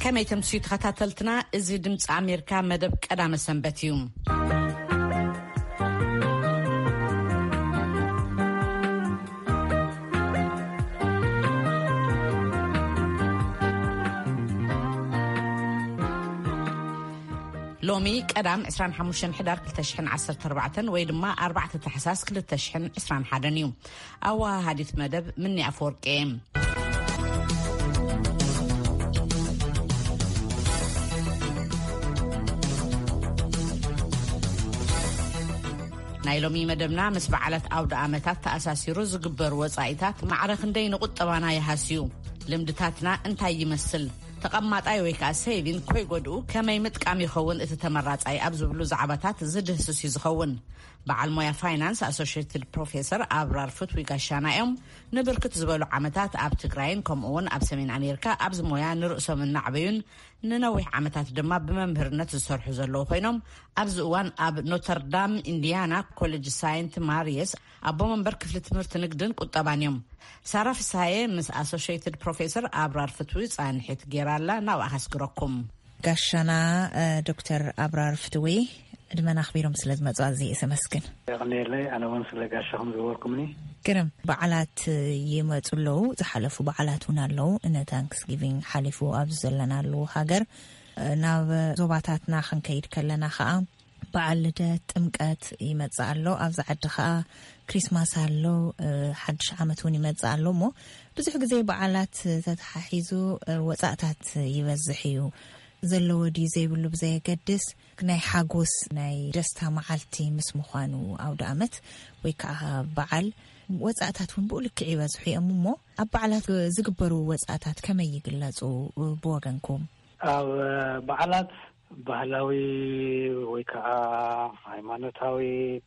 ከመይ ተምስዩ ተኸታተልትና? እዚ ድምፂ ኣሜሪካ መደብ ቀዳመ ሰንበት እዩ። ሎሚ ቀዳም ዕስራን ሓሙሽተን ሕዳር ክልተ ሽሕን ዓሰርተ ኣርባዕተን ወይ ድማ ኣርባዕተ ታሕሳስ ክልተ ሽሕን ዕስራን ሓደን እዩ። ኣወሃሃዲት መደብ ምኒ ኣፈወርቂ እየ። ናይ ሎሚ መደብና ምስ በዓላት ኣውደ ኣመታት ተኣሳሲሩ ዝግበሩ ወጻኢታት ማዕረ ክንደይ ንቁጠባና ይሃስዩ? ልምድታትና እንታይ ይመስል? ተቐማጣይ ወይ ከዓ ሴቪን ኮይጎድኡ ከመይ ምጥቃም ይኸውን እቲ ተመራጻይ ኣብ ዝብሉ ዛዕባታት ዝድህስስ እዩ ዝኸውን። በዓል ሞያ ፋይናንስ ኣሶሽየትድ ፕሮፌሰር ኣብራር ፍትዊ ጋሻና እዮም። ንብርክት ዝበሉ ዓመታት ኣብ ትግራይን ከምኡ እውን ኣብ ሰሜን ኣሜሪካ ኣብዚ ሞያ ንርእሶም እናዕበዩን ንነዊሕ ዓመታት ድማ ብመምህርነት ዝሰርሑ ዘለዉ ኮይኖም፣ ኣብዚ እዋን ኣብ ኖተርዳም ኢንዲያና ኮሌጅ ሳይንት ማሪየስ ኣቦ መንበር ክፍሊ ትምህርቲ ንግድን ቁጠባን እዮም። ሳራ ፍስሃየ ምስ ኣሶሽየትድ ፕሮፌሰር ኣብራር ፍትዊ ጻንሒት ጌራ ኣላ። ናብኣ ከስግረኩም። ጋሻና ዶክተር ኣብራር ፍትዊ፣ ዕድመና ኣኽቢሮም ስለ ዝመጹ ኣዝየ እየ ዘመስግን። የቐንየለይ፣ ኣነ እውን ስለ ጋሻኹም ዝገበርኩምኒ። ግርም። በዓላት ይመጹ ኣለዉ። ዝሓለፉ በዓላት እውን ኣለዉ። ን ታንክስጊቪንግ ሓሊፉ ኣብዚ ዘለናሉ ሃገር፣ ናብ ዞባታትና ክንከይድ ከለና ከኣ በዓል ልደት፣ ጥምቀት ይመጽእ ኣሎ። ኣብዚ ዓዲ ከኣ ክሪስማስ ኣሎ፣ ሓድሽ ዓመት እውን ይመጽእ ኣሎ። እሞ ብዙሕ ግዜ በዓላት ተተሓሒዙ ወጻእታት ይበዝሕ እዩ። ዘለዎ ድዩ ዘይብሉ ብዘየገድስ፣ ናይ ሓጎስ ናይ ደስታ መዓልቲ ምስ ምዃኑ፣ ኣውደ ኣመት ወይ ከዓ በዓል፣ ወጻእታት እውን ብኡ ልክዕ ይበዝሑ እዮም። እሞ ኣብ በዓላት ዝግበሩ ወጻእታት ከመይ ይግለጹ ብወገንኩም? ኣብ በዓላት ባህላዊ ወይ ከዓ ሃይማኖታዊ፣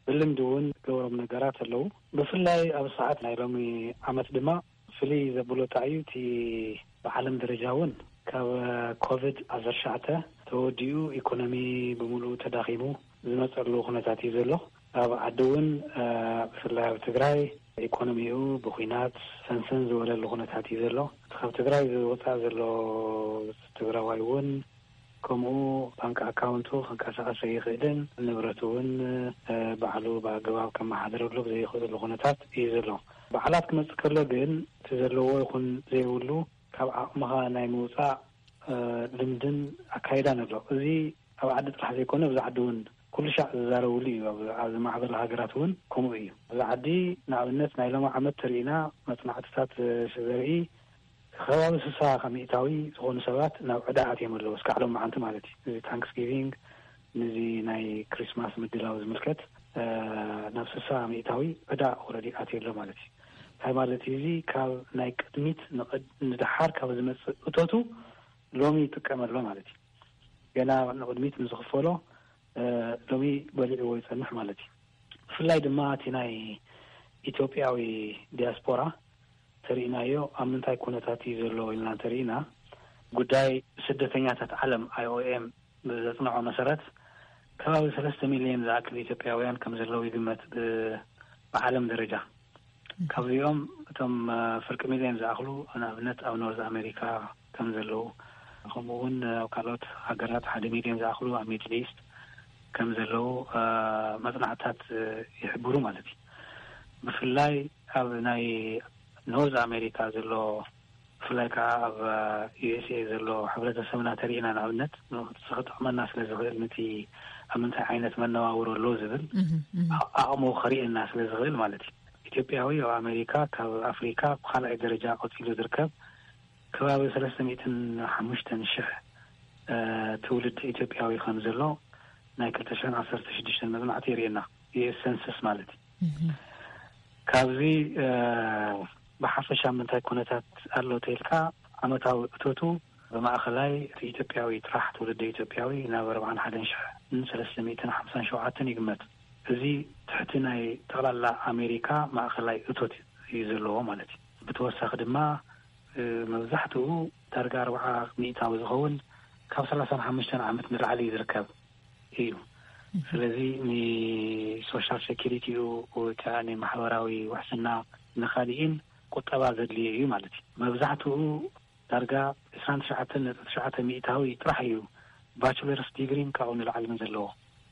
ብልምዲ እውን ገብሮም ነገራት ኣለዉ። ብፍላይ ኣብ ሰዓት ናይ ሎሚ ዓመት ድማ ፍልይ ዘብሎ እንታይ እዩ፣ እቲ ብዓለም ደረጃ እውን ካብ ኮቪድ ዓሰርተ ትሽዓተ ተወዲኡ ኢኮኖሚ ብምሉኡ ተዳኺሙ ዝመፀሉ ኩነታት እዩ ዘሎ። ኣብ ዓዲ እውን፣ እ፣ ብፍላይ ኣብ ትግራይ ኢኮኖሚኡ ብኩናት ሰንሰን ዝበለሉ ኩነታት እዩ ዘሎ። እቲ ካብ ትግራይ ዝወፃእ ዘሎ ትግራዋይ እውን ከምኡ ባንክ ኣካውንቱ ክንቀሳቐስ ዘይኽእልን ንብረቱ እውን፣ እ፣ ባዕሉ ብኣገባብ ከመሓድረሉ ብዘይኽእሉ ኩነታት እዩ ዘሎ። በዓላት ክመጽእ ከሎ ግን እቲ ዘለዎ ይኹን ዘይብሉ ካብ ዓቕምኻ ናይ ምውጻእ፣ እ፣ ልምድን ኣካይዳን ኣሎ። እዚ ኣብ ዓዲ ጥራሕ ዘይኮነ፣ ኣብዚ ዓዲ እውን ኩሉ ሻዕ ዝዛረብሉ እዩ። ኣብ፣ ኣብዚ ማዕበል ሃገራት እውን ከምኡ እዩ። ኣብዚ ዓዲ ንኣብነት ናይ ሎሚ ዓመት ተሪኢና መጽናዕትታት፣ እ፣ ዘርኢ ከባቢ ስሳ ሚእታዊ ዝኾኑ ሰባት ናብ ዕዳ ኣትዮም ኣለዉ፣ እስካዕ ሎም መዓንቲ ማለት እዩ። እዚ ታንክስጊቪንግ፣ ነዚ ናይ ክሪስማስ ምድላው ዝምልከት፣ እ፣ ናብ ስሳ ሚእታዊ ዕዳ ኦልሬዲ ኣትዩ ኣሎ ማለት እዩ። እንታይ ማለት እዩ? እዚ ካብ ናይ ቅድሚት ንቕድ-፣ ንደሓር ካብ ዝመጽእ እቶቱ ሎሚ ይጥቀም ኣሎ ማለት እዩ። ገና ንቕድሚት ንዝኽፈሎ፣ እ፣ ሎሚ በሊዕዎ ይጸንሕ ማለት እዩ። ብፍላይ ድማ እቲ ናይ ኢትዮጵያዊ ዲያስፖራ ተሪእናዮ ኣብ ምንታይ ኩነታት እዩ ዘሎ ኢልና እንተሪእና፣ ጉዳይ ስደተኛታት ዓለም፣ ኣይ ኦ ኤም፣ ብዘጽንዖ መሰረት፣ ከባቢ ሰለስተ ሚልዮን ዝኣክል ኢትዮጵያውያን ከም ዘለዉ ይግመት ብ-፣ ብዓለም ደረጃ። ካብዚኦም እቶም፣ እ፣ ፍርቂ ሚልዮን ዝኣኽሉ ንኣብነት ኣብ ኖርዝ ኣሜሪካ ከም ዘለዉ፣ ከምኡ እውን ኣብ ካልኦት ሃገራት ሓደ ሚልዮን ዝኣኽሉ ኣብ ሚድል ኢስት ከም ዘለዉ፣ እ፣ መጽናዕትታት፣ እ፣ ይሕብሩ ማለት እዩ። ብፍላይ ኣብ ናይ ኖርዝ ኣሜሪካ ዘሎ፣ ብፍላይ ከዓ ኣብ፣ እ፣ ዩ ኤስ ኤ ዘሎ ሕብረተሰብና ተሪእና፣ ንኣብነት ንሱ ክጥዕመና ስለ ዝኽእል፣ ነቲ ኣብ ምንታይ ዓይነት መነባብሮ ኣሎ ዝብል እህ፣ እህ። ኣ-፣ ኣቕሙ ከርእየና ስለ ዝኽእል ማለት እዩ። ኢትዮጵያዊ ኣብ ኣሜሪካ፣ ካብ ኣፍሪካ ብኻልኣይ ደረጃ ቀፂሉ ዝርከብ፣ ከባቢ ሰለስተ ሚእትን ሓሙሽተን ሽሕ፣ እ፣ ትውልዲ ኢትዮጵያዊ ከም ዘሎ ናይ ክልተ ሽሕን ዓሰርተ ሽዱሽተን መጽናዕቲ የርእየና፣ ዩ ኤስ ሰንሰስ ማለት እዩ። እህ። ካብዚ፣ እ፣ ብሓፈሻ ምንታይ ኩነታት ኣሎ ተኢልካ፣ ዓመታዊ እቶቱ ብማእኸላይ እቲ ኢትዮጵያዊ ጥራሕ፣ ትውልደ ኢትዮጵያዊ፣ ናብ ኣርባዓን ሓደን ሽሕን ሰለስተ ሚእትን ሓምሳን ሸውዓተን ይግመት። እዚ ትሕቲ ናይ ጠቕላላ ኣሜሪካ ማእኸላይ እቶት እዩ ዘለዎ ማለት እዩ። ብተወሳኺ ድማ፣ እ፣ መብዛሕትኡ ዳርጋ ኣርብዓ ሚእታዊ ዝኸውን ካብ ሰላሳን ሓሙሽተን ዓመት ንላዕሊ እዩ ዝርከብ እዩ። እህ። ስለዚ ንሶሻል ሴኪሪቲኡ ወይ ከዓ ንማሕበራዊ ውሕስና ንኻሊእን ቁጠባ ዘድልዮ እዩ ማለት እዩ። መብዛሕትኡ ዳርጋ ዕስራን ትሽዓተን ነጥቢ ትሽዓተ ሚእታዊ ጥራሕ እዩ ባችለርስ ዲግሪን ካብኡ ንላዕልን ዘለዎ፣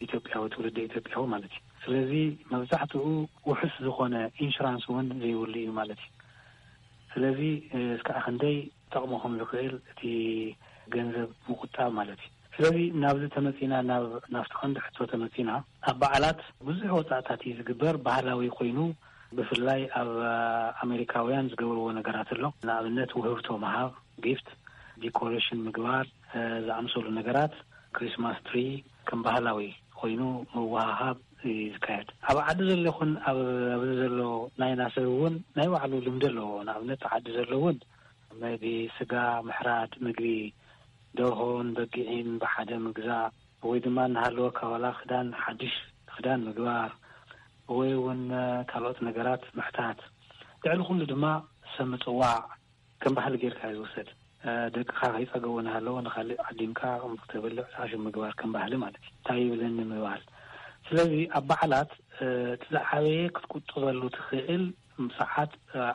ኢትዮጵያዊ፣ ትውልደ ኢትዮጵያዊ ማለት እዩ። ስለዚ መብዛሕትኡ ውሑስ ዝኾነ ኢንሹራንስ እውን ዘይብሉ እዩ ማለት እዩ። ስለዚ እስካዕ ክንደይ ጠቕሞ ከም ዝኽእል እቲ ገንዘብ ምቁጣብ ማለት እዩ። ስለዚ ናብዚ ተመጺና፣ ናብ ናብቲ ቀንዲ ሕቶ ተመጺና፣ ኣብ በዓላት ብዙሕ ወጻእታት እዩ ዝግበር። ባህላዊ ኮይኑ ብፍላይ ኣብ ኣሜሪካውያን ዝገብርዎ ነገራት ኣሎ። ንኣብነት ውህብቶ ምሃብ፣ ጊፍት፣ ዲኮሬሽን ምግባር፣ ዝኣምሰሉ ነገራት፣ ክሪስማስ ትሪ ከም ባህላዊ ኮይኑ ምውሃሃብ እዩ ዝካየድ። ኣብ ዓዲ ዘሎ ይኹን ኣብ ኣብዚ ዘሎ ናይና ሰብ እውን ናይ ባዕሉ ልምዲ ኣለዎ። ንኣብነት ዓዲ ዘሎ እውን ቢ ስጋ ምሕራድ፣ ምግቢ ደርሆን በጊዕን ብሓደ ምግዛእ፣ ወይ ድማ እናሃለወካ ዋላ ክዳን ሓድሽ ክዳን ምግባር፣ ወይ እውን ካልኦት ነገራት ምሕታት። ልዕሊ ኩሉ ድማ ሰብ ምጽዋዕ ከም ባህሊ ጌርካ እዩ ዝውሰድ። ደቅኻ ከይጸገቡ እናሃለወ ንኻልእ ዓዲምካ ከም ክትበልዕ ሳሽም ምግባር ከም ባህሊ ማለት እዩ። እንታይ ይብለኒ ምባል። ስለዚ ኣብ በዓላት እቲ ዝዓበየ ክትቁጥበሉ ትኽእል ሰዓት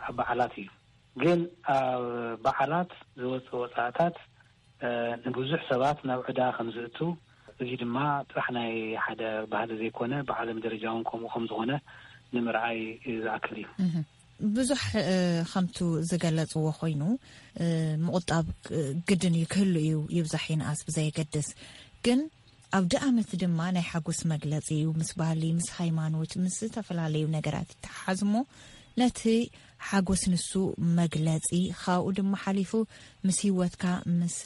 ኣብ በዓላት እዩ። ግን ኣብ በዓላት ዝወጽእ ወጻእታት ንብዙሕ ሰባት ናብ ዕዳ ከም ዝእቱ፣ እዚ ድማ ጥራሕ ናይ ሓደ ባህሊ ዘይኮነ ብዓለም ደረጃ እውን ከምኡ ከም ዝኾነ ንምርኣይ ዝኣክል እዩ። ብዙሕ ከምቱ ዝገለጽዎ ኮይኑ ምቑጣብ ግድን እዩ ክህሉ እዩ፣ ይብዛሕ ይንኣስ ብዘየገድስ። ግን ኣብዲ ኣመት ድማ ናይ ሓጎስ መግለጺ እዩ። ምስ ባህሊ፣ ምስ ሃይማኖት፣ ምስ ዝተፈላለዩ ነገራት ይተሓሓዝ እሞ ነቲ ሓጎስ ንሱ መግለጺ፣ ካብኡ ድማ ሓሊፉ ምስ ህይወትካ፣ ምስ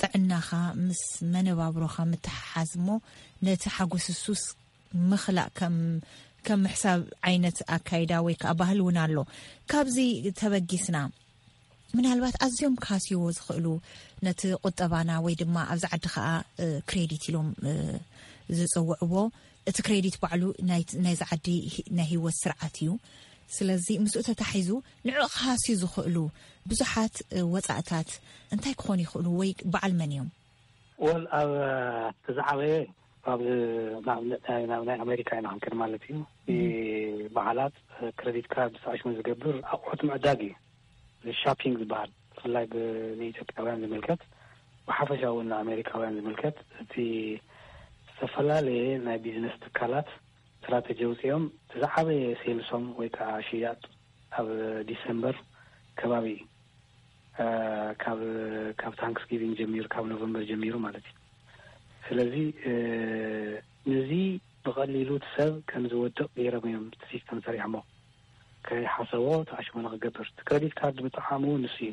ጥዕናኻ፣ ምስ መነባብሮኻ ምትሓሓዝ እሞ ነቲ ሓጎስ እሱስ ምኽላእ ከም ከም ምሕሳብ ዓይነት ኣካይዳ ወይ ከዓ ባህል እውን ኣሎ። ካብዚ ተበጊስና ምናልባት ኣዝዮም ክሃስይዎ ዝኽእሉ ነቲ ቁጠባና ወይ ድማ ኣብዚ ዓዲ ከዓ ክሬዲት ኢሎም ዝፅውዕዎ፣ እቲ ክሬዲት ባዕሉ ናይዚ ዓዲ ናይ ህይወት ስርዓት እዩ። ስለዚ ምስኡ ተታሒዙ ንዑ ክሃስዩ ዝኽእሉ ብዙሓት ወፃእታት እንታይ ክኾኑ ይኽእሉ ወይ በዓል መን እዮም? ወል ኣብ እቲ ዝዓበየ ኣብ ንኣብነት ናይ ኣሜሪካ ኢና ክንክድ ማለት እዩ። በዓላት ክሬዲት ካርድ ሳሽሙ ዝገብር ኣቑሑት ምዕዳግ እዩ። ሻፒንግ ዝበሃል ብፍላይ ንኢትዮጵያውያን ዝምልከት፣ ብሓፈሻ እውን ንኣሜሪካውያን ዝምልከት፣ እቲ ዝተፈላለየ ናይ ቢዝነስ ትካላት ስትራተጂ ኣውፂኦም፣ እቲ ዝዓበየ ሴልሶም ወይ ከዓ ሽያጥ ኣብ ዲሰምበር ከባቢ እዩ። ካብ ካብ ታንክስጊቪንግ ጀሚሩ፣ ካብ ኖቨምበር ጀሚሩ ማለት እዩ። ስለዚ ነዚ ብቐሊሉ እቲ ሰብ ከም ዝወድቕ ገይሮም እዮም እቲ ሲስተም ሰሪሖሞ። ከይሓሰቦ ተኣሽሞ ንክገብር፣ እቲ ክሬዲት ካርድ ምጥዓሙ ንሱ እዩ።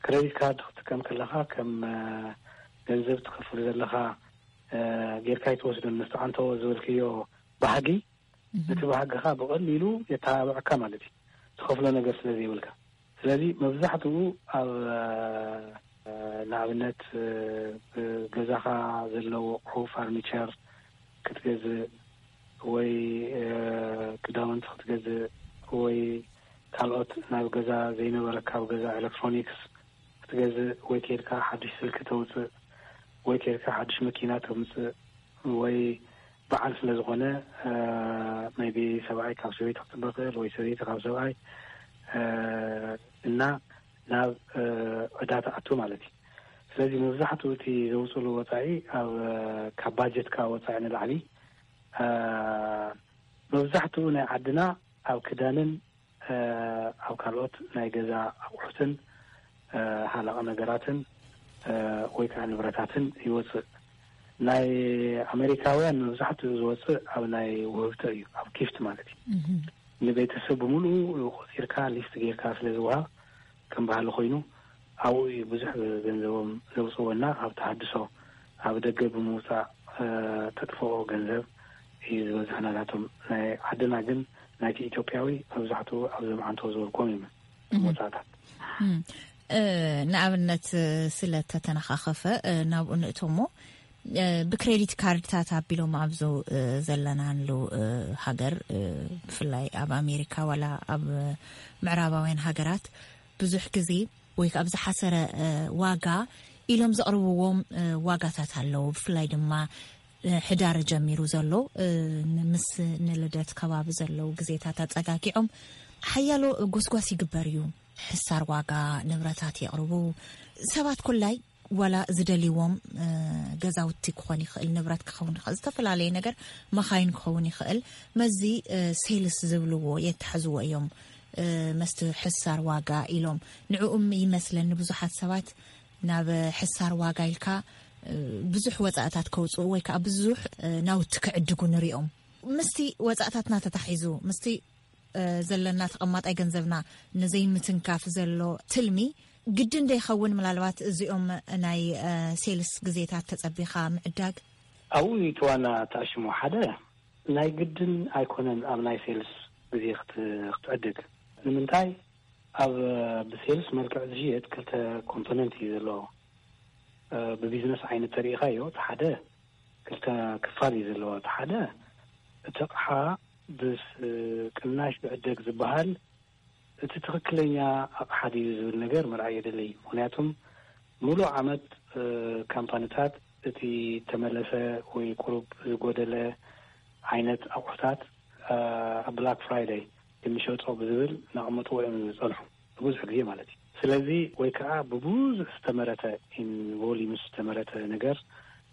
ክሬዲት ካርድ ክትጥቀም ከለኻ ከም ገንዘብ ትኸፍሉ ዘለኻ ጌርካ ይትወስዶን፣ ምስ ተዓንተዎ ዝበልክዮ ባህጊ እቲ ባህግኻ ብቐሊሉ የተባብዐካ ማለት እዩ፣ ትኸፍሎ ነገር ስለ ዘይብልካ። ስለዚ መብዛሕትኡ ኣብ ንኣብነት ገዛኻ ዘለዉ ኣቑሑ፣ ፋርኒቸር ክትገዝእ ወይ ክዳውንቲ ክትገዝእ ወይ ካልኦት ናብ ገዛ ዘይነበረካ ኣብ ገዛ ኤሌክትሮኒክስ ክትገዝእ ወይ ከይድካ ሓድሽ ስልኪ ተውፅእ ወይ ከይድካ ሓድሽ መኪና ተምፅእ ወይ በዓል ስለ ዝኾነ maybe ሰብኣይ ካብ ሰበይቲ ክፅበ ክእል ወይ ሰበይቲ ካብ ሰብኣይ እና ናብ ዕዳ ትኣቱ ማለት እዩ። ስለዚ መብዛሕትኡ እቲ ዘውፅሉ ወፃኢ ኣብ ካብ ባጀትካ ወፃኢ ንላዕሊ መብዛሕትኡ ናይ ዓድና ኣብ ክዳንን ኣብ ካልኦት ናይ ገዛ ኣቑሑትን ሃለቕ ነገራትን ወይ ከዓ ንብረታትን ይወፅእ። ናይ ኣሜሪካውያን መብዛሕትኡ ዝወፅእ ኣብ ናይ ውህብቶ እዩ፣ ኣብ ጊፍት ማለት እዩ። ንቤተሰብ ብምሉኡ ቆፂርካ ሊስት ጌርካ ስለ ዝወሃብ ከም ባህሊ ኮይኑ ኣብኡ እዩ ብዙሕ ገንዘቦም ዘውፅዎ እና ኣብ ተሃድሶ ኣብ ደገ ብምውፃእ ተጥፍኦ ገንዘብ እዩ ዝበዝሕ ናታቶም። ናይ ዓድና ግን ናይቲ ኢትዮጵያዊ መብዛሕትኡ ኣብ ዘምዓንቶ ዝበልኩም እዩ ወፃእታት። ንኣብነት ስለ ተተነኻኸፈ ናብኡ ንእቶ እሞ ብክሬዲት ካርድታት ኣቢሎም ኣብዚ ዘለናሉ ሃገር ብፍላይ ኣብ ኣሜሪካ ዋላ ኣብ ምዕራባውያን ሃገራት ብዙሕ ግዜ ወይ ከዓ ብዝሓሰረ ዋጋ ኢሎም ዘቕርብዎም ዋጋታት ኣለዉ። ብፍላይ ድማ ሕዳር ጀሚሩ ዘሎ ምስ ንልደት ከባቢ ዘለዉ ግዜታት ኣፀጋጊዖም ሓያሎ ጎስጓስ ይግበር እዩ። ሕሳር ዋጋ ንብረታት የቕርቡ። ሰባት ኩላይ ዋላ ዝደልይዎም ገዛውቲ ክኾን ይኽእል፣ ንብረት ክኸውን ይኽእል፣ ዝተፈላለየ ነገር፣ መኻይን ክኸውን ይኽእል፣ መስዚ ሴልስ ዝብልዎ የተሕዝዎ እዮም። መስቲ ሕሳር ዋጋ ኢሎም ንዕኡም ይመስለኒ ብዙሓት ሰባት ናብ ሕሳር ዋጋ ኢልካ ብዙሕ ወፃእታት ከውፅኡ ወይ ከዓ ብዙሕ ናውቲ ክዕድጉ ንሪኦም። ምስቲ ወፃእታትና ተታሒዙ ምስቲ ዘለና ተቐማጣይ ገንዘብና ንዘይምትንካፍ ዘሎ ትልሚ ግድን ደይኸውን? ምናልባት እዚኦም ናይ ሴልስ ግዜታት ተጸቢኻ ምዕዳግ ኣብኡ እዩ እቲ ዋና ተኣሽሞ። ሓደ ናይ ግድን ኣይኮነን ኣብ ናይ ሴልስ ግዜ ክትዕድግ። ንምንታይ? ኣብ ብሴልስ መልክዕ ዝሽየጥ ክልተ ኮምፖነንት እዩ ዘለዎ። ብቢዝነስ ዓይነት ተሪኢኻዮ፣ እቲ ሓደ ክልተ ክፋል እዩ ዘለዎ። እቲ ሓደ እቲ ኣቕሓ ብቅናሽ ብዕደግ ዝበሃል እቲ ትኽክለኛ ኣቕሓ ድዩ ዝብል ነገር ምርኣይ የድሊ። ምኽንያቱም ሙሉእ ዓመት ካምፓኒታት እቲ ተመለሰ ወይ ቁሩብ ዝጎደለ ዓይነት ኣቑሑታት ኣብ ብላክ ፍራይደይ እንሸጦ ብዝብል እናቐመጥዎ እዮም ዝፀንሑ፣ ብዙሕ ግዜ ማለት እዩ። ስለዚ ወይ ከዓ ብብዙሕ ዝተመረተ፣ ኢን ቮሊዩም ዝተመረተ ነገር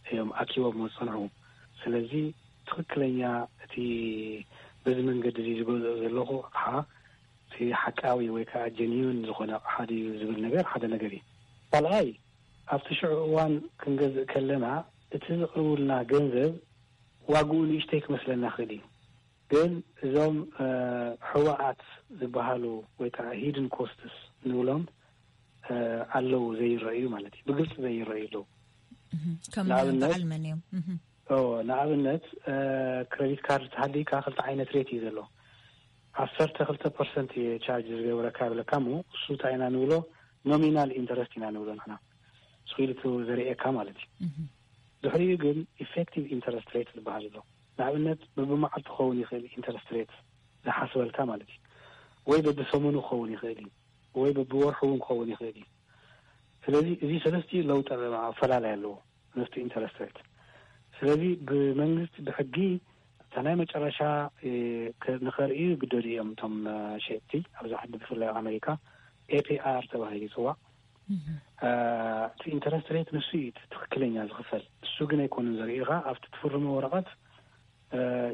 እዮም ኣኪቦም ዝፀንሑ። ስለዚ ትኽክለኛ እቲ በዚ መንገዲ እዚ ዝገዝኦ ዘለኹ ኣቕሓ እቲ ሓቃዊ ወይ ከዓ ጀኒዩን ዝኾነ ኣቕሓ ድዩ ዝብል ነገር ሓደ ነገር እዩ። ካልኣይ ኣብቲ ሽዑ እዋን ክንገዝእ ከለና እቲ ዝቕርቡልና ገንዘብ ዋግኡ ንእሽተይ ክመስለና ክእል እዩ። ግን እዞም ሕዋኣት ዝበሃሉ ወይ ከዓ ሂድን ኮስትስ ንብሎም ኣለዉ፣ ዘይረእዩ ማለት እዩ። ብግልፂ ዘይረእዩ ኣለዉ። ከም ንኣብነት በዓል መን እዮም? ንኣብነት ክሬዲት ካርድ ተሃልይካ ክልተ ዓይነት ሬት እዩ ዘሎ። ዓሰርተ ክልተ ፐርሰንት ቻርጅ ዝገብረካ ይብለካ እሞ እሱ እንታይ ኢና ንብሎ? ኖሚናል ኢንተረስት ኢና ንብሎ ንሕና። ስኢልቱ ዘርእየካ ማለት እዩ። ድሕሪኡ ግን ኢፌክቲቭ ኢንተረስት ሬት ዝበሃል ኣሎ። ንኣብነት በብመዓልቱ ክኸውን ይኽእል ኢንተረስት ሬት ዝሓስበልካ ማለት እዩ። ወይ በብሰሙኑ ክኸውን ይኽእል እዩ፣ ወይ በብወርሑ እውን ክኸውን ይኽእል እዩ። ስለዚ እዚ ሰለስቲኡ ለውጢ ኣለዎ፣ ኣፈላላይ ኣለዎ ምስቲ ኢንተረስት ሬት። ስለዚ ብመንግስቲ ብሕጊ እታ ናይ መጨረሻ ንኸርእዩ ይግደዱ እዮም እቶም ሸየጥቲ። ኣብዚ ዓዲ ብፍላይ ኣብ ኣሜሪካ ኤፒኣር ተባሂሉ ይፅዋዕ። እቲ ኢንተረስት ሬት ንሱ እዩ ትኽክለኛ ዝኽፈል። እሱ ግን ኣይኮኑን ዘርእዩኻ፣ ኣብቲ ትፍርሞ ወረቐት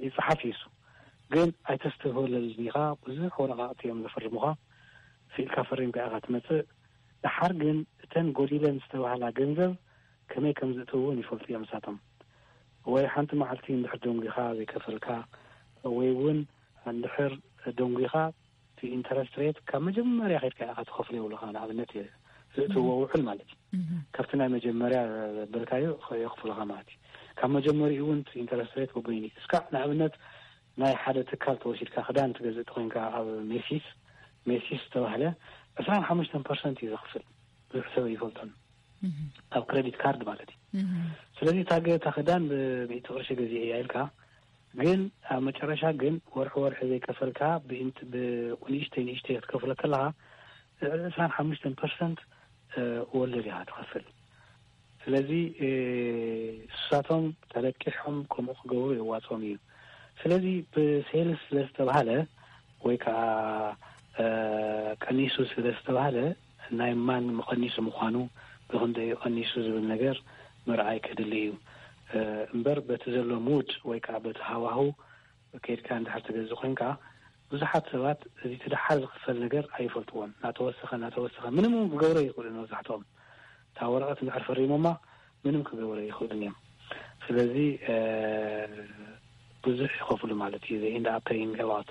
ይፅሓፍ እዩ እሱ። ግን ኣይተስተብህለሉን ኢኻ። ብዙሕ ወረቓቕቲ እዮም ዘፈርሙኻ። ስኢልካ ፈሪምካ ኢኻ ትመፅእ። ደሓር ግን እተን ጎዲለን ዝተባህላ ገንዘብ ከመይ ከም ዝእትውውን ይፈልጡ እዮም ንሳቶም። ወይ ሓንቲ መዓልቲ እንድሕር ደንጒኻ ዘይከፈልካ፣ ወይ እውን እንድሕር ደንጒኻ እቲ ኢንተረስት ሬት ካብ መጀመርያ ከድካ ኢኻ ትኸፍሎ ይብሉኻ። ንኣብነት እየ ዝእትዎ ውዕል ማለት እዩ። ካብቲ ናይ መጀመርያ በልካዮ የኽፍሉኻ ማለት እዩ። ካብ መጀመሪኡ እውን እቲ ኢንተረስት ሬት በበይኑ እዩ። እስካዕ ንኣብነት ናይ ሓደ ትካል ተወሲድካ ክዳን ትገዝእ ተኮይንካ ኣብ ሜሲስ፣ ሜሲስ ዝተባህለ ዕስራን ሓሙሽተን ፐርሰንት እዩ ዘኽፍል። ብዙሕ ሰብ ይፈልጦን ኣብ ክሬዲት ካርድ ማለት እዩ። ስለዚ እታ ገ- እታ ክዳን ብሚእቲ ቅርሺ ገዚአ እያ ኢልካ፣ ግን ኣብ መጨረሻ ግን ወርሒ ወርሒ ዘይከፈልካ ብኢንት- ብንእሽተይ ንእሽተይ ክትከፍሎ ከለኻ ዕስራን ሓሙሽተን ፐርሰንት ወለድ ኢኻ ትኸፍል። ስለዚ እሳቶም ተለቂሖም ከምኡ ክገብሩ የዋፅኦም እዩ። ስለዚ ብሴልስ ስለዝተባሃለ ወይ ከዓ ቀኒሱ ስለዝተባሃለ ናይ ማን መቐኒሱ ምዃኑ፣ ብኽንደይ ቀኒሱ ዝብል ነገር ምርኣይ ከድሊ እዩ። እምበር በቲ ዘሎ ሙድ ወይ ከዓ በቲ ሃዋሁ ከይድካ እንድሕር ትገዝእ ኮይንካ፣ ብዙሓት ሰባት እዚ እቲ ደሓር ዝኽፈል ነገር ኣይፈልጥዎን። እናተወሰኸ እናተወሰኸ ምንም እውን ክገብሮ ይኽእሉ መብዛሕትኦም። እታ ወረቐት እንድሕር ፈሪሞማ ምንም ክገብሩ ይኽእሉን እዮም። ስለዚ ብዙሕ ይኸፍሉ ማለት እዩ። They end up paying a lot።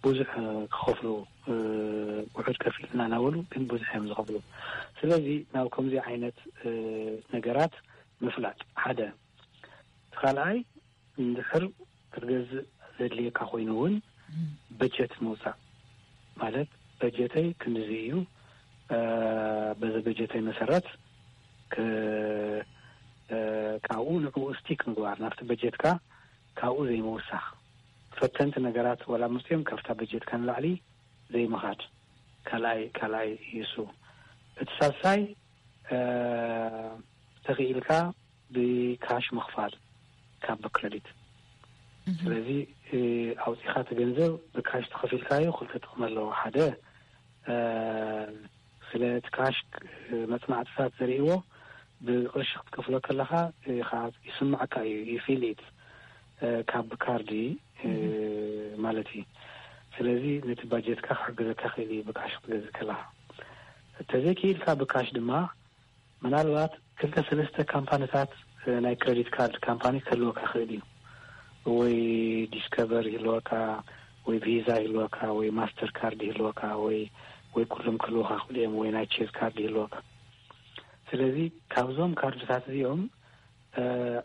ብዙሕ ክኸፍሉ፣ ውሑድ ከፊልና እናበሉ ግን ብዙሕ እዮም ዝኸፍሉ። ስለዚ ናብ ከምዚ ዓይነት ነገራት ምፍላጥ ሓደ። እቲ ካልኣይ እንድሕር ክትገዝእ ዘድልየካ ኮይኑ እውን በጀት ምውፃእ ማለት በጀተይ ክንድዚ እዩ፣ በዚ በጀተይ መሰረት ካብኡ ንዕኡ ስቲክ ምግባር፣ ናብቲ በጀትካ ካብኡ ዘይምውሳኽ፣ ፈተንቲ ነገራት ወላ ምፅኦም ካብታ በጀትካ ንላዕሊ ዘይምኻድ ካልኣይ ካልኣይ እዩ እሱ። እቲ ሳልሳይ ተኽኢልካ ብካሽ ምኽፋል ካብ ብክረዲት። ስለዚ ኣውፂኻ እቲ ገንዘብ ብካሽ ተኸፊልካዮ ክልተ ጥቕሚ ኣለዎ። ሓደ ስለ እቲ ካሽ መፅናዕትታት ዘርእዎ ብቅርሺ ክትከፍሎ ከለካ ይስማዕካ እዩ፣ you feel it። ካብ ካርዲ ማለት እዩ። ስለዚ ነቲ ባጀትካ ክሕግዘካ ክእል እዩ ብካሽ ክትገዝእ ከለካ። ተዘይክኢልካ ብካሽ ድማ ምናልባት ክልተ ሰለስተ ካምፓኒታት ናይ ክረዲት ካርድ ካምፓኒ ክህልወካ ክእል እዩ። ወይ ዲስከቨር ይህልወካ፣ ወይ ቪዛ ይህልወካ፣ ወይ ማስተር ካርድ ይህልወካ፣ ወይ ወይ ኩሎም ክህልወካ ክእሉ እዮም፣ ወይ ናይ ቼዝ ካርድ ይህልወካ። ስለዚ ካብዞም ካርድታት እዚኦም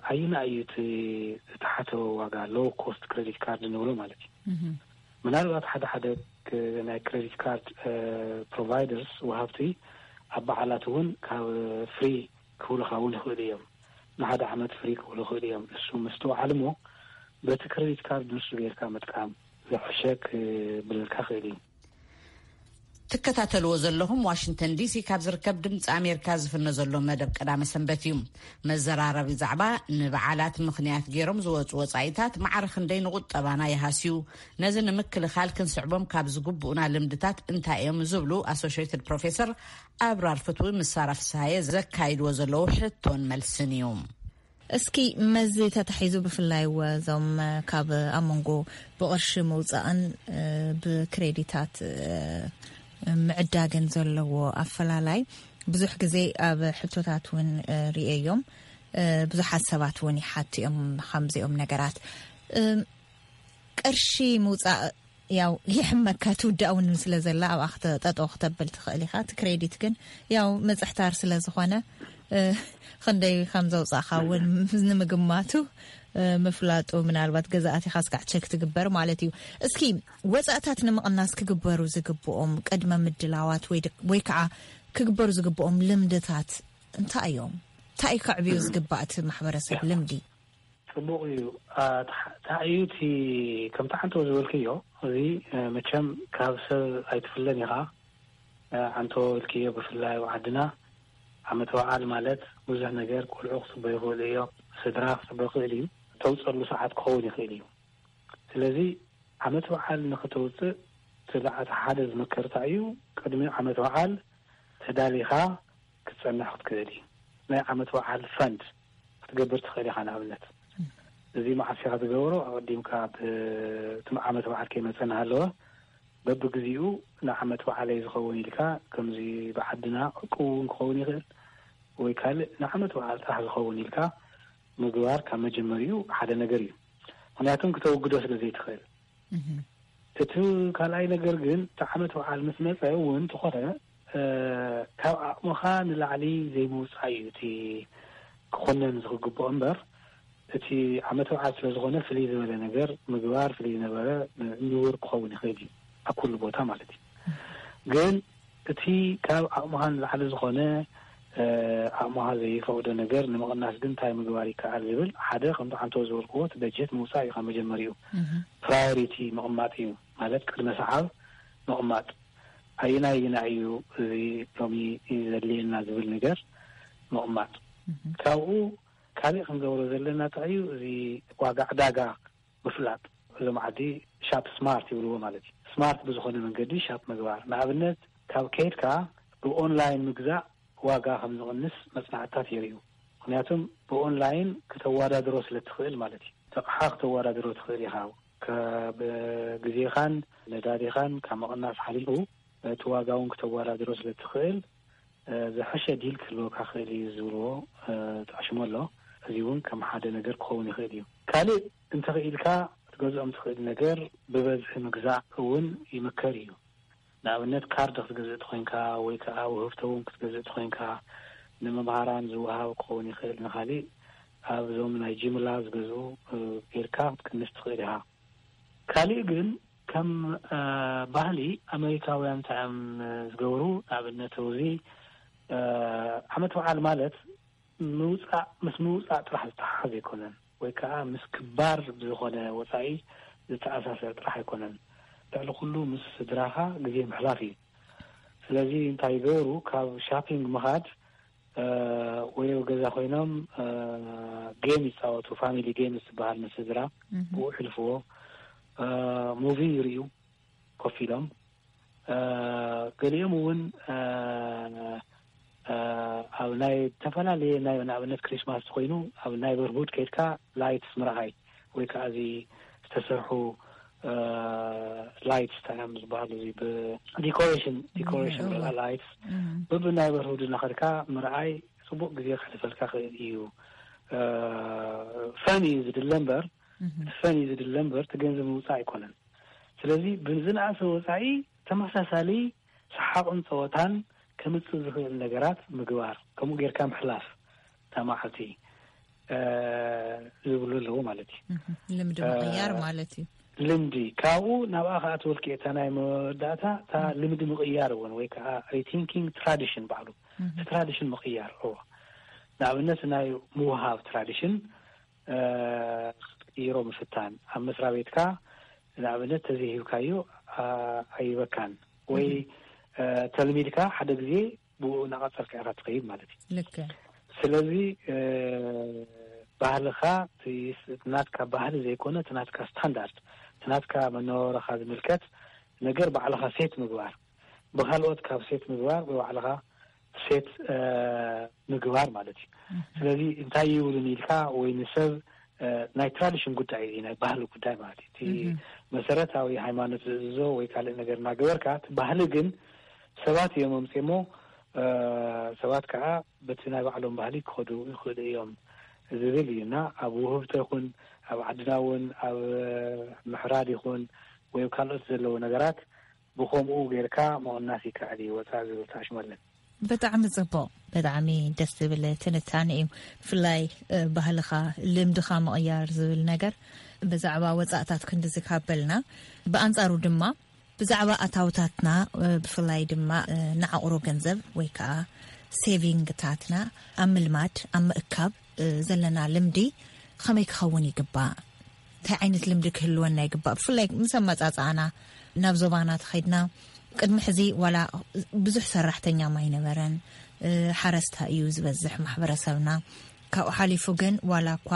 ኣየናይ እዩ እቲ ዝተሓተ ዋጋ፣ ሎው ኮስት ክረዲት ካርድ ንብሎ ማለት እዩ? ምናልባት ሓደ ሓደ ናይ ክረዲት ካርድ ፕሮቫይደርስ፣ ወሃብቲ፣ ኣብ በዓላት እውን ካብ ፍሪ ክብሉካ እውን ይኽእሉ እዮም። ንሓደ ዓመት ፍሪ ክብሉ ይኽእሉ እዮም። እሱ ምስትውዓል እሞ በቲ ክረዲት ካርድ ንሱ ጌርካ ምጥቃም ዝሕሸ ክብለልካ ክእል እዩ። ትከታተልዎ ዘለኹም ዋሽንግተን ዲሲ ካብ ዝርከብ ድምፂ ኣሜሪካ ዝፍኖ ዘሎ መደብ ቀዳመ ሰንበት እዩ። መዘራረቢ ዛዕባ፣ ንበዓላት ምኽንያት ገይሮም ዝወፁ ወፃኢታት ማዕረ ክንደይ ንቁጠባና ይሃስዩ? ነዚ ንምክልኻል ክንስዕቦም ካብ ዝግብኡና ልምድታት እንታይ እዮም ዝብሉ ኣሶሽትድ ፕሮፌሰር ኣብራር ፍትዊ ምስ ሳራ ፍስሃየ ዘካይድዎ ዘለዉ ሕቶን መልስን እዩ። እስኪ መዚ ተታሒዙ ብፍላይ ወ እዞም ካብ ኣብ መንጎ ብቕርሺ ምውፃእን ብክሬዲታት ምዕዳግን ዘለዎ ኣፈላላይ ብዙሕ ግዜ ኣብ ሕቶታት እውን ርእየዮም። ብዙሓት ሰባት እውን ይሓቱ እዮም ከምዚኦም ነገራት። ቅርሺ ምውፃእ ያው ይሕመካ ትውዳእ እውን ስለ ዘላ ኣብኣ ጠጠው ክተብል ትኽእል ኢኻ። እቲ ክሬዲት ግን ያው ምፅሕታር ስለ ዝኾነ ክንደይ ከም ዘውፃእካ እውን ንምግማቱ ምፍላጡ ምናልባት ገዛእቲ ኢኻ ስጋዕ ቸክ ትግበር ማለት እዩ። እስኪ ወፃእታት ንምቕናስ ክግበሩ ዝግብኦም ቅድመ ምድላዋት ወይ ከዓ ክግበሩ ዝግብኦም ልምድታት እንታይ እዮም? እንታይ እዩ ከዕብዩ ዝግባእ እቲ ማሕበረሰብ ልምዲ? ፅቡቕ እዩ። ታእዩ እቲ ከምቲ ዓንተው ዝበልክዮ እዚ መቸም ካብ ሰብ ኣይትፍለን ኢኻ። ዓንተው ኢልክዮ ብፍላይ ኣብ ዓድና ዓመት በዓል ማለት ብዙሕ ነገር ቆልዑ ክፅበ ይኽእሉ እዮም፣ ስድራ ክፅበ ይኽእል እዩ፣ ተውፀሉ ሰዓት ክኸውን ይኽእል እዩ። ስለዚ ዓመት በዓል ንክተውፅእ እቲ ለዓት ሓደ ዝመከርታ እዩ። ቅድሚ ዓመት በዓል ተዳሊኻ ክትፀንሕ ክትክእል እዩ። ናይ ዓመት በዓል ፈንድ ክትገብር ትኽእል ኢኻ። ንኣብነት እዚ መዓስ ኢኻ ትገብሮ? ኣቀዲምካ እቲ ዓመት በዓል ከይመፀ እናሃለወ በብግዚኡ ንዓመት በዓለይ ዝኸውን ኢልካ፣ ከምዚ ብዓድና ዕቁብ እውን ክኸውን ይኽእል ወይ ካልእ ንዓመት በዓል ጥራሕ ዝኸውን ኢልካ ምግባር ካብ መጀመሪኡ ሓደ ነገር እዩ። ምክንያቱም ክተውግዶ ስለ ዘይትኽእል። እቲ ካልኣይ ነገር ግን እቲ ዓመት በዓል ምስ መፀ እውን እንተኾነ ካብ ዓቕምኻ ንላዕሊ ዘይምውፃእ እዩ እቲ ክኾነን ዝክግብኦ እምበር እቲ ዓመት በዓል ስለ ዝኾነ ፍልይ ዝበለ ነገር ምግባር ፍልይ ዝነበረ ንቡር ክኸውን ይኽእል እዩ ኣብ ኩሉ ቦታ ማለት እዩ። ግን እቲ ካብ ዓቕምኻ ንላዕሊ ዝኾነ ዓቕምኻ ዘይፈቕዶ ነገር ንምቕናስ ግን እንታይ ምግባር ይከኣል ዝብል ሓደ ከምቲ ዓንተው ዝበልክዎ እቲ በጀት ምውፃእ እዩ ካብ መጀመሪኡ። ፕራዮሪቲ ምቕማጥ እዩ ማለት ቅድመ ሰዓብ ምቕማጥ። ኣየናይ ኣየናይ እዩ እዚ ሎሚ ዘድልየና ዝብል ነገር ምቕማጥ። ካብኡ ካሊእ ክንገብሮ ዘለና እንታይ እዩ? እዚ ዋጋ ዕዳጋ ምፍላጥ። እዞም ዓዲ ሻፕ ስማርት ይብልዎ ማለት እዩ። ስማርት ብዝኾነ መንገዲ ሻፕ ምግባር። ንኣብነት ካብ ከይድካ ብኦንላይን ምግዛእ ዋጋ ከም ዝቕንስ መፅናዕትታት የርእዩ። ምክንያቱም ብኦንላይን ክተወዳድሮ ስለ ትኽእል ማለት እዩ። ኣቕሓ ክተወዳድሮ ትኽእል ኢኻ። ካብ ግዜኻን ነዳዲኻን ካብ ምቕናስ ሓሊፉ እቲ ዋጋ እውን ክተወዳድሮ ስለ ትኽእል ዝሐሸ ዲል ክህልወካ ክእል እዩ ዝብልዎ ተዓሽሞ ኣሎ። እዚ እውን ከም ሓደ ነገር ክኸውን ይኽእል እዩ። ካልእ እንተኽኢልካ ክትገዝኦም ትኽእል ነገር ብበዝሒ ምግዛእ እውን ይምከር እዩ። ንኣብነት ካርድ ክትገዝእ ተኾይንካ ወይ ከዓ ውህብቶ እውን ክትገዝእ ተኾይንካ ንመምሃራን ዝወሃብ ክኸውን ይኽእል፣ ንኻሊእ ኣብዞም ናይ ጅምላ ዝገዝኡ ጌርካ ክትቅንስ ትኽእል ኢኻ። ካሊእ ግን ከም ባህሊ ኣመሪካውያን እንታይ እዮም ዝገብሩ? ንኣብነት እዚ ዓመት በዓል ማለት ምውፃእ ምስ ምውፃእ ጥራሕ ዝተሓሓዝ ኣይኮነን፣ ወይ ከዓ ምስ ክባር ብዝኾነ ወፃኢ ዝተኣሳሰር ጥራሕ ኣይኮነን። ልዕሊ ኩሉ ምስ ስድራኻ ግዜ ምሕላፍ እዩ። ስለዚ እንታይ ይገብሩ? ካብ ሻፒንግ ምኻድ ወይ ኣብ ገዛ ኮይኖም ጌም ይፃወቱ፣ ፋሚሊ ጌም ዝበሃል ምስ ስድራ ብኡ ሕልፍዎ። ሙቪ ይርእዩ ኮፍ ኢሎም። ገሊኦም እውን ኣብ ናይ ዝተፈላለየ ናይ ንኣብነት ክሪስማስ ኮይኑ ኣብ ናይበርሁድ ከድካ ላይትስ ምርኣይ ወይ ከዓ እዚ ዝተሰርሑ ላይትስ ታዮም ዝበሃሉ እዚ ብዲኮሬሽን ዲኮሬሽን ላይትስ ብብናይበርሁድ እናኸድካ ምርኣይ ፅቡቅ ግዜ ክሕልፈልካ ክእል እዩ። ፈን እዩ ዝድለ እምበር ፈን እዩ ዝድለ እምበር እቲ ገንዘብ ምውፃእ ኣይኮነን። ስለዚ ብዝነኣሰ ወፃኢ ተመሳሳሊ ሰሓቕን ፀወታን ከምፅእ ዝኽእል ነገራት ምግባር ከምኡ ጌርካ ምሕላፍ እታ መዓልቲ ዝብሉ ኣለዎ ማለት እዩ። ልምዲ ምቕያር ማለት እዩ። ልምዲ ካብኡ ናብኣ ከኣትወልኪ እታ ናይ መወዳእታ እታ ልምዲ ምቕያር እውን ወይ ከዓ rethinking tradition ባዕሉ እቲ tradition ምቕያር እዎ። ንኣብነት ናይ ምውሃብ tradition ክትቅይሮ ምፍታን ኣብ መስሪያ ቤትካ ንኣብነት ተዘይሂብካዮ ኣይበካን ወይ ተልሚድካ ሓደ ግዜ ብኡ እናቐፀልካ ኢኻ ትኸይድ ማለት እዩ። ልክዕ። ስለዚ ባህልኻ ናትካ ባህሊ ዘይኮነ እቲ ናትካ ስታንዳርድ እቲ ናትካ መነባበረኻ ዝምልከት ነገር ባዕልኻ ሴት ምግባር ብካልኦት ካብ ሴት ምግባር ብባዕልኻ ሴት ምግባር ማለት እዩ። ስለዚ እንታይ ይብሉን ኢልካ ወይ ንሰብ ናይ ትራዲሽን ጉዳይ እዩ ናይ ባህሊ ጉዳይ ማለት እዩ። እቲ መሰረታዊ ሃይማኖት ዝእዝዞ ወይ ካልእ ነገር እናገበርካ እቲ ባህሊ ግን ሰባት እዮም ኣምፅሞ ሰባት ከዓ በቲ ናይ ባዕሎም ባህሊ ክኸዱ ይኽእሉ እዮም ዝብል እዩ እና ኣብ ውህብቶ ይኹን ኣብ ዓድና እውን ኣብ ምሕራድ ይኹን ወይ ካልኦት ዘለዎ ነገራት ብኸምኡ ጌርካ ምቕናስ ይከኣል እዩ ወፃእ ዝብል ተኣሽመለን። ብጣዕሚ ፅቡቕ፣ ብጣዕሚ ደስ ዝብል ትንታነ እዩ። ብፍላይ ባህልኻ ልምድኻ ምቕያር ዝብል ነገር ብዛዕባ ወፃእታት ክንድዚ ካበልና ብኣንፃሩ ድማ ብዛዕባ ኣታውታትና ብፍላይ ድማ ንዓቑሮ ገንዘብ ወይ ከዓ ሴቪንግታትና ኣብ ምልማድ ኣብ ምእካብ ዘለና ልምዲ ከመይ ክኸውን ይግባእ? እንታይ ዓይነት ልምዲ ክህልወና ይግባእ? ብፍላይ ምስ ኣመፃፅኣና ናብ ዞባና ተኸድና ቅድሚ ሕዚ ዋላ ብዙሕ ሰራሕተኛ ማይነበረን ሓረስታ እዩ ዝበዝሕ ማሕበረሰብና። ካብኡ ሓሊፉ ግን ዋላ እኳ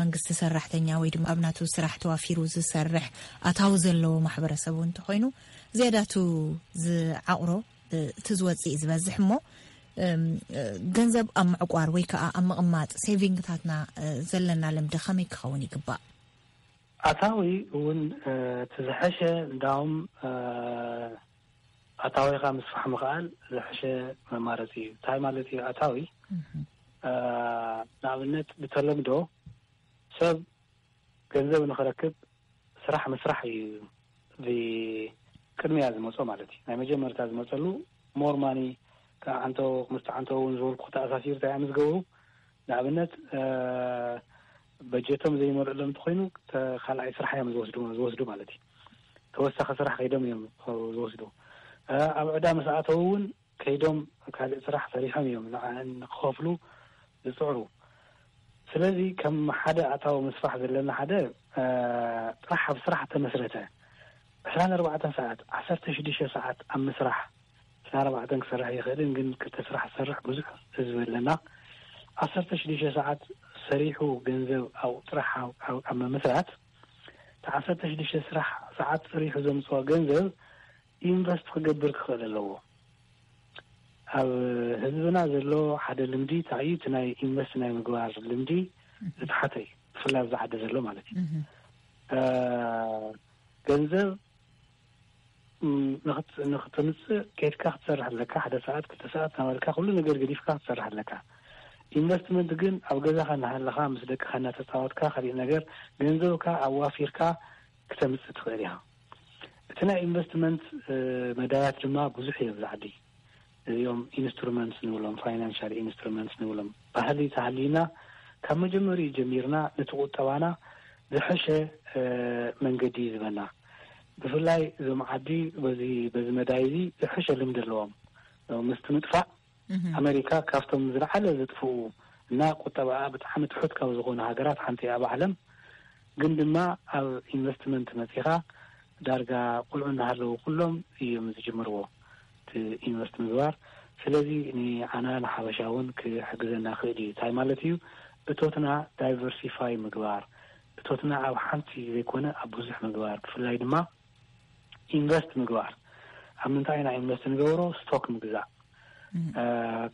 መንግስቲ ሰራሕተኛ ወይ ድማ ኣብ ናቱ ስራሕ ተዋፊሩ ዝሰርሕ ኣታዊ ዘለዎ ማሕበረሰብ እውን እንተኾይኑ ዝያዳቱ ዝዓቕሮ እቲ ዝወፅእ ዝበዝሕ እሞ ገንዘብ ኣብ ምዕቋር ወይ ከዓ ኣብ ምቕማጥ ሴቪንግታትና ዘለና ልምዲ ከመይ ክኸውን ይግባእ? ኣታዊ እውን እቲ ዝሐሸ እንዳውም ኣታዊኻ ምስፋሕ ምኽኣል ዝሐሸ መማረፂ እዩ። እንታይ ማለት እዩ ኣታዊ? ንኣብነት ብተለምዶ ሰብ ገንዘብ ንኽረክብ ስራሕ ምስራሕ እዩ ቅድሚያ ዝመፆ ማለት እዩ። ናይ መጀመርታ ዝመፀሉ ሞር ማኒ ከዓንቶ ምስ ተዓንቶ እውን ዝበልኩ ተኣሳሲሩ እንታይ ምስ ገብሩ ንኣብነት በጀቶም ዘይመልእሎም እንተኮይኑ ካልኣይ ስራሕ እዮም ዝወስዱ ዝወስዱ ማለት እዩ። ተወሳኺ ስራሕ ከይዶም እዮም ዝወስዱ። ኣብ ዕዳ ምስ ኣተው እውን ከይዶም ካልእ ስራሕ ሰሪሖም እዮም ንዓን ክኸፍሉ ዝፅዕሩ። ስለዚ ከም ሓደ ኣታዊ ምስፋሕ ዘለና ሓደ ጥራሕ ኣብ ስራሕ ተመስረተ ዕስራን ኣርባዕተን ሰዓት ዓሰርተ ሽዱሽተ ሰዓት ኣብ ምስራሕ ዕስራን ኣርባዕተን ክሰርሕ ይኽእልን ግን ክልተ ስራሕ ዝሰርሕ ብዙሕ ህዝቢ ኣለና። ዓሰርተ ሽዱሽተ ሰዓት ሰሪሑ ገንዘብ ኣብ ጥራሕ ኣብ ምምስራት እቲ ዓሰርተ ሽዱሽተ ስራሕ ሰዓት ሰሪሑ ዘምፅኦ ገንዘብ ኢንቨስት ክገብር ክኽእል ኣለዎ። ኣብ ህዝብና ዘሎ ሓደ ልምዲ እንታይ እዩ? እቲ ናይ ኢንቨስት ናይ ምግባር ልምዲ ዝተሓተ እዩ። ብፍላይ ኣብዚ ዓዲ ዘሎ ማለት እዩ። ገንዘብ ንክተምፅእ ከድካ ክትሰርሕ ኣለካ። ሓደ ሰዓት ክልተ ሰዓት ናበልካ ኩሉ ነገር ገዲፍካ ክትሰርሕ ኣለካ። ኢንቨስትመንት ግን ኣብ ገዛኻ እናሃለኻ ምስ ደቅኻ እናተፃወትካ ካሊእ ነገር ገንዘብካ ኣዋፊርካ ክተምፅእ ትኽእል ኢኻ። እቲ ናይ ኢንቨስትመንት መዳያት ድማ ብዙሕ እዮም ኣብዚ ዓዲ። እዚኦም ኢንስትሩመንትስ ንብሎም ፋይናንሻል ኢንስትሩመንትስ ንብሎም ባህሊ ተሃልዩና ካብ መጀመሪኡ ጀሚርና ነቲ ቁጠባና ዝሐሸ መንገዲ እዩ ዝበና። ብፍላይ እዞም ዓዲ በዚ በዚ መዳይ እዚ ዝሐሸ ልምዲ ኣለዎም። ምስቲ ምጥፋእ ኣሜሪካ ካብቶም ዝለዓለ ዝጥፍኡ እና ቁጠባኣ ብጣዕሚ ትሑት ካብ ዝኾኑ ሃገራት ሓንቲ እያ ኣብ ዓለም። ግን ድማ ኣብ ኢንቨስትመንት መፂኻ ዳርጋ ቁልዑ እናሃለዉ ኩሎም እዮም ዝጅምርዎ እቲ ኢንቨስት ምግባር። ስለዚ ንዓና ንሓበሻ እውን ክሕግዘና ክእል እዩ። እንታይ ማለት እዩ? እቶትና ዳይቨርሲፋይ ምግባር፣ እቶትና ኣብ ሓንቲ ዘይኮነ ኣብ ብዙሕ ምግባር፣ ብፍላይ ድማ ኢንቨስት ምግባር። ኣብ ምንታይ ኢና ኢንቨስት ንገብሮ? ስቶክ ምግዛእ።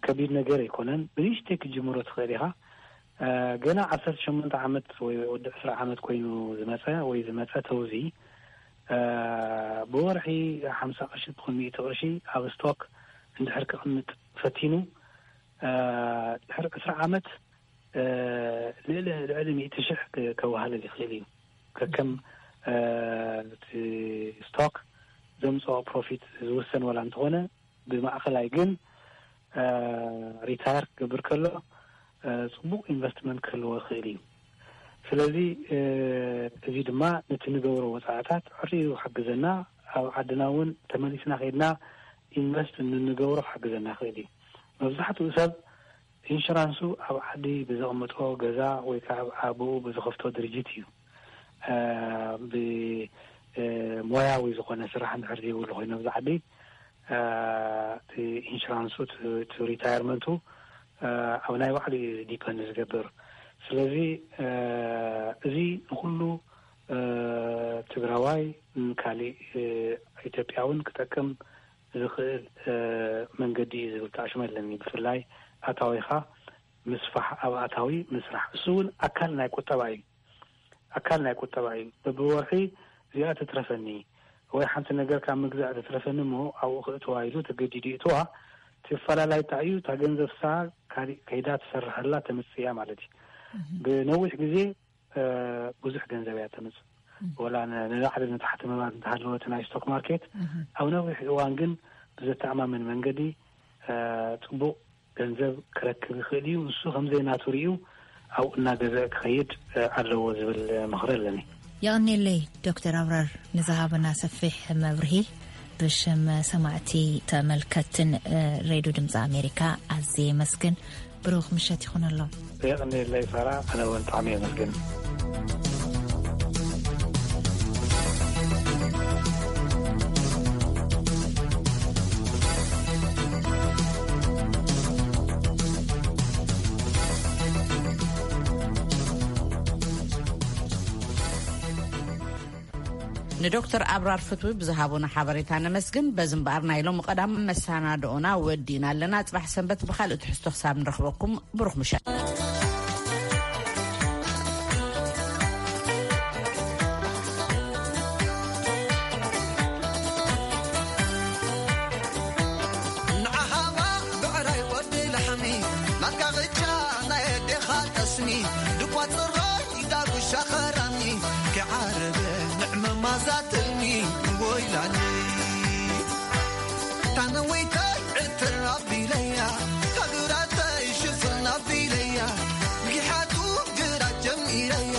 ከቢድ ነገር ኣይኮነን። ብንእሽተይ ክትጅምሮ ትኽእል ኢኻ። ገና ዓሰርተ ሸሞንተ ዓመት ወይ ወዲ ዕስራ ዓመት ኮይኑ ዝመፀ ወይ ዝመፀ ተውዚ ብወርሒ ሓምሳ ቅርሺ ትኹን ሚእቲ ቅርሺ ኣብ ስቶክ እንድሕር ክቕምጥ ፈቲኑ ድሕር ዕስራ ዓመት ልዕሊ ልዕሊ ሚእቲ ሽሕ ከዋህለል ይኽእል እዩ። ከከም እቲ ስቶክ ዘምፅኦ ፕሮፊት ዝውሰን ዋላ እንተኾነ ብማእኸላይ ግን ሪታየር ክገብር ከሎ ፅቡቕ ኢንቨስትመንት ክህልዎ ይኽእል እዩ። ስለዚ እዚ ድማ ነቲ ንገብሮ ወፃዕታት ዕሪሩ ክሕግዘና፣ ኣብ ዓድና እውን ተመሊስና ከይድና ኢንቨስት እንንገብሮ ክሕግዘና ይኽእል እዩ። መብዛሕትኡ ሰብ ኢንሹራንሱ ኣብ ዓዲ ብዘቕምጦ ገዛ ወይ ከዓ ኣብ ኣብኡ ብዝኸፍቶ ድርጅት እዩ። ብሞያዊ ዝኾነ ስራሕ እንድሕር ዘይብሉ ኮይኑ ኣብዚ ዓዲ እቲ ኢንሹራንሱ እቲ ሪታየርመንቱ ኣብ ናይ ባዕሉ እዩ ዲፐንድ ዝገብር። ስለዚ እዚ ንኩሉ ትግራዋይ፣ ንካሊእ ኢትዮጵያ እውን ክጠቅም ዝኽእል መንገዲ እዩ ዝብል ተኣሽመ ኣለኒ። ብፍላይ ኣታዊኻ ምስፋሕ፣ ኣብ ኣታዊ ምስራሕ፣ እሱ እውን ኣካል ናይ ቁጠባ እዩ። ኣካል ናይ ቁጠባ እዩ። በብወርሒ እዚኣ ትትረፈኒ ወይ ሓንቲ ነገር ካብ ምግዛእ ትትረፈኒ እሞ ኣብኡ ክእትዋ ኢሉ ተገዲዱ ይእትዋ። እቲ ፈላላይ እንታይ እዩ? እታ ገንዘብ ሳ ካሊእ ከይዳ ትሰርሐላ ተምፅእ እያ ማለት እዩ። ብነዊሕ ግዜ ብዙሕ ገንዘብ እያ ተምፅእ። ወላ ንላዕሊ ንታሕቲ ምባል እንተሃለወ እቲ ናይ ስቶክ ማርኬት ኣብ ነዊሕ እዋን ግን ብዘተኣማምን መንገዲ ፅቡቕ ገንዘብ ክረክብ ይኽእል እዩ። ንሱ ከምዘይ ናቱ ርእዩ ኣብኡ እናገዘ ክኸይድ ኣለዎ ዝብል ምኽሪ ኣለኒ። የቐኔለይ ዶክተር ኣብራር ንዝሃበና ሰፊሕ መብርሂ ብሽም ሰማዕቲ ተመልከትን ሬድዮ ድምፂ ኣሜሪካ ኣዝየ የመስግን። ብሩኽ ምሸት ይኹነሎም። የቐኔለይ ሳራ፣ ኣነ እውን ብጣዕሚ የመስግን። ንዶክተር ኣብራር ፍትዊ ብዝሃቡና ሓበሬታ ነመስግን። በዚ እምበኣር ናይ ሎም ቀዳም መሰናድኦና ወዲእና ኣለና። ጽባሕ ሰንበት ብኻልእ ትሕዝቶ ክሳብ ንረኽበኩም ብሩኽ ምሸት። ንዓኻ ብዕራይ ወዲ ላሕሚ ናትካ ቅጫ ናይ ኣዴኻ ጠስሚ ድኳ ጽራይ ዳጉሻ ኸራሚ ክዓርበ ንዕመ ማዛ ትልሚ ወይላኒ ታነወይታይ ዕትር ኣቢለያ ታግራተይ ሽፍን ኣቢለያ ብጊሓቱ ግራት ጀሚረያ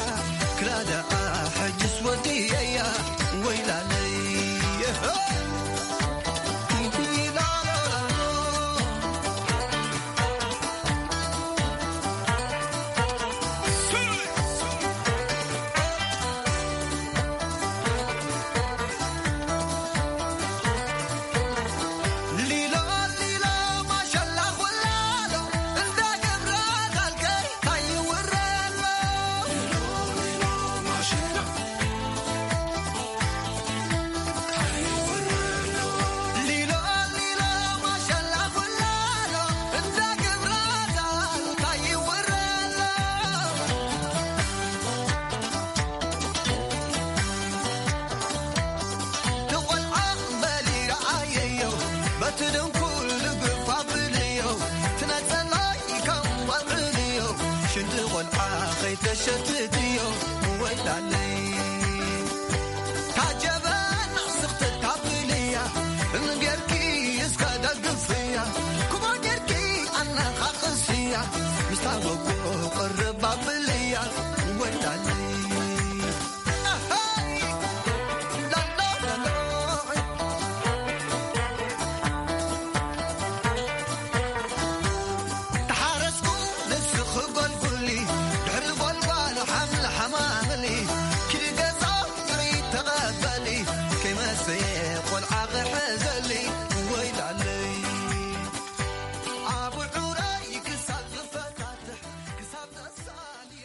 ክላ ደኣ ሕጅስ ወዲየያ ወይላለይ